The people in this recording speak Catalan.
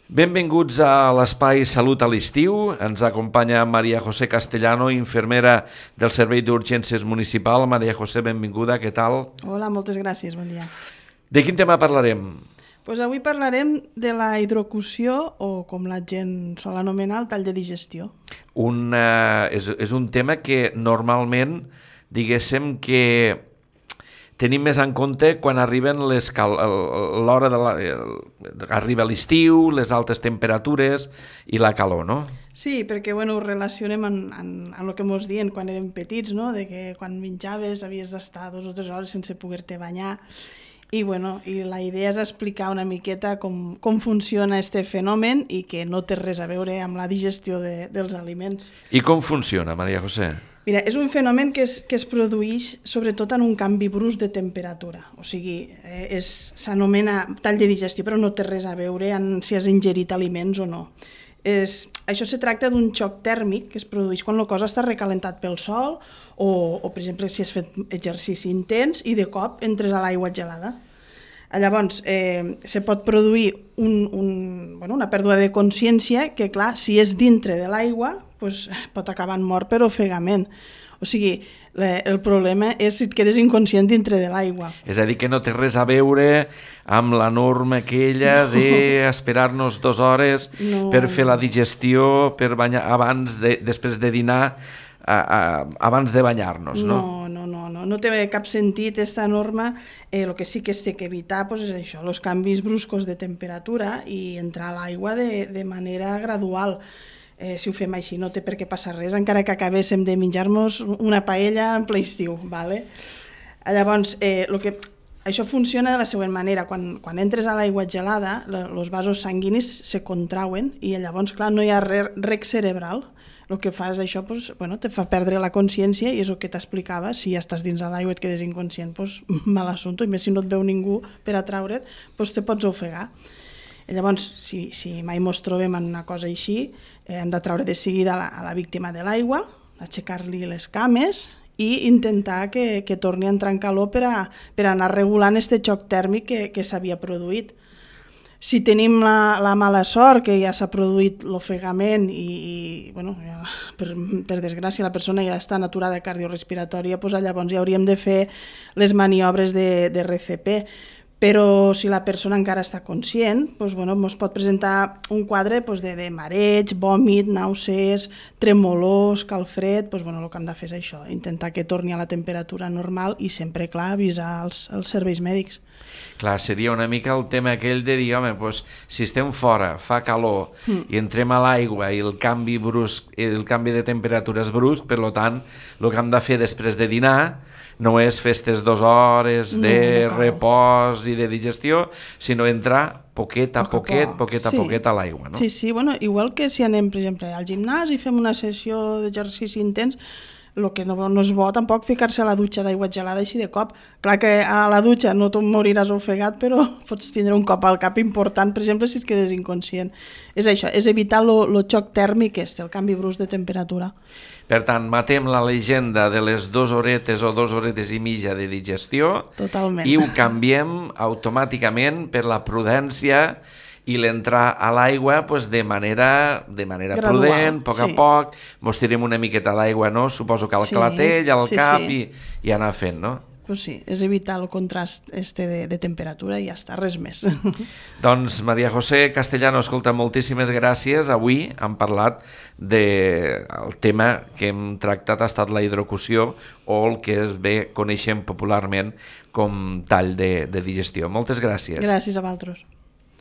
Benvinguts a l'Espai Salut a l'estiu. Ens acompanya Maria José Castellano, infermera del Servei d'Urgències Municipal. Maria José, benvinguda, què tal? Hola, moltes gràcies, bon dia. De quin tema parlarem? Pues avui parlarem de la hidrocució, o com la gent sol anomenar, el tall de digestió. És un tema que normalment, diguéssim que tenim més en compte quan arriben l'hora arriba l'estiu, les altes temperatures i la calor, no? Sí, perquè ho relacionem amb el que ens diuen quan érem petits, no? De que quan menjaves havies d'estar 2 o 3 hores sense poder-te banyar. I la idea és explicar una miqueta com funciona aquest fenomen i que no té res a veure amb la digestió dels aliments. I com funciona, Maria José? Mira, és un fenomen que es produeix sobretot en un canvi brusc de temperatura. O sigui, s'anomena tall de digestió, però no té res a veure amb si has ingerit aliments o no. Això se tracta d'un xoc tèrmic que es produeix quan la cosa està recalentat pel sol o per exemple, si has fet exercici intens i de cop entres a l'aigua gelada. Llavors, se pot produir una pèrdua de consciència que, clar, si és dintre de l'aigua, doncs pot acabar en mort per ofegament. O sigui, el problema és si et quedes inconscient dintre de l'aigua. És a dir, que no té res a veure amb la norma aquella d'esperar-nos 2 hores per fer la digestió, per banyar després de dinar, abans de banyar-nos, no? No té cap sentit aquesta norma. El que sí que es té que evitar és això, els canvis bruscos de temperatura i entrar a l'aigua de manera gradual. Si ho fem així no té per què passar res, encara que acabéssim de menjar-nos una paella en ple estiu. Llavors, això funciona de la següent manera. Quan entres a l'aigua gelada, els vasos sanguinis se contrauen i llavors, clar, no hi ha rec cerebral. El que fa és això, te fa perdre la consciència i és el que t'explicava, si ja estàs dins de l'aigua i et quedes inconscient, mal assumpte, i més si no et veu ningú per a traure't, te pots ofegar. Llavors, si mai ens trobem en una cosa així, hem de traure de seguida a la víctima de l'aigua, aixecar-li les cames i intentar que torni a entrar en calor per anar regulant aquest xoc tèrmic que s'havia produït. Si tenim la mala sort que ja s'ha produït l'ofegament i per desgràcia la persona ja està en aturada cardiorrespiratòria, llavors ja hauríem de fer les maniobres de RCP. Però si la persona encara està conscient, ens pot presentar un quadre de mareig, vòmit, nàusees, tremolor, escalfred. El que hem de fer és això, intentar que torni a la temperatura normal i sempre, clar, avisar els serveis mèdics. Clar, seria una mica el tema aquell de dir, home, si estem fora, fa calor i entrem a l'aigua i el canvi de temperatura és brusc, per tant, el que hem de fer després de dinar no és fer aquestes 2 hores de repòs i de digestió, sinó entrar poquet a poquet a l'aigua, no? Sí, igual que si anem, per exemple, al gimnàs i fem una sessió d'exercici intens, el que no és bo tampoc ficar-se a la dutxa d'aigua gelada així de cop. Clar que a la dutxa no te'n moriràs ofegat, però pots tindre un cop al cap important, per exemple, si et quedes inconscient. És això, és evitar el xoc tèrmic, el canvi brusc de temperatura. Per tant, matem la llegenda de les 2 horetes o 2 horetes i mitja de digestió. Totalment. I ho canviem automàticament per la prudència i l'entrar a l'aigua de manera gradual, prudent, a poc a poc, mos tirem una miqueta d'aigua, no? Suposo que al clatell, al cap i anar fent, no? Sí, és evitar el contrast de temperatura i ja està, res més. Doncs Maria José Castellano, escolta, moltíssimes gràcies. Avui hem parlat el tema que hem tractat ha estat la hidrocució o el que coneixem popularment com tall de digestió. Moltes gràcies. Gràcies a vosaltres.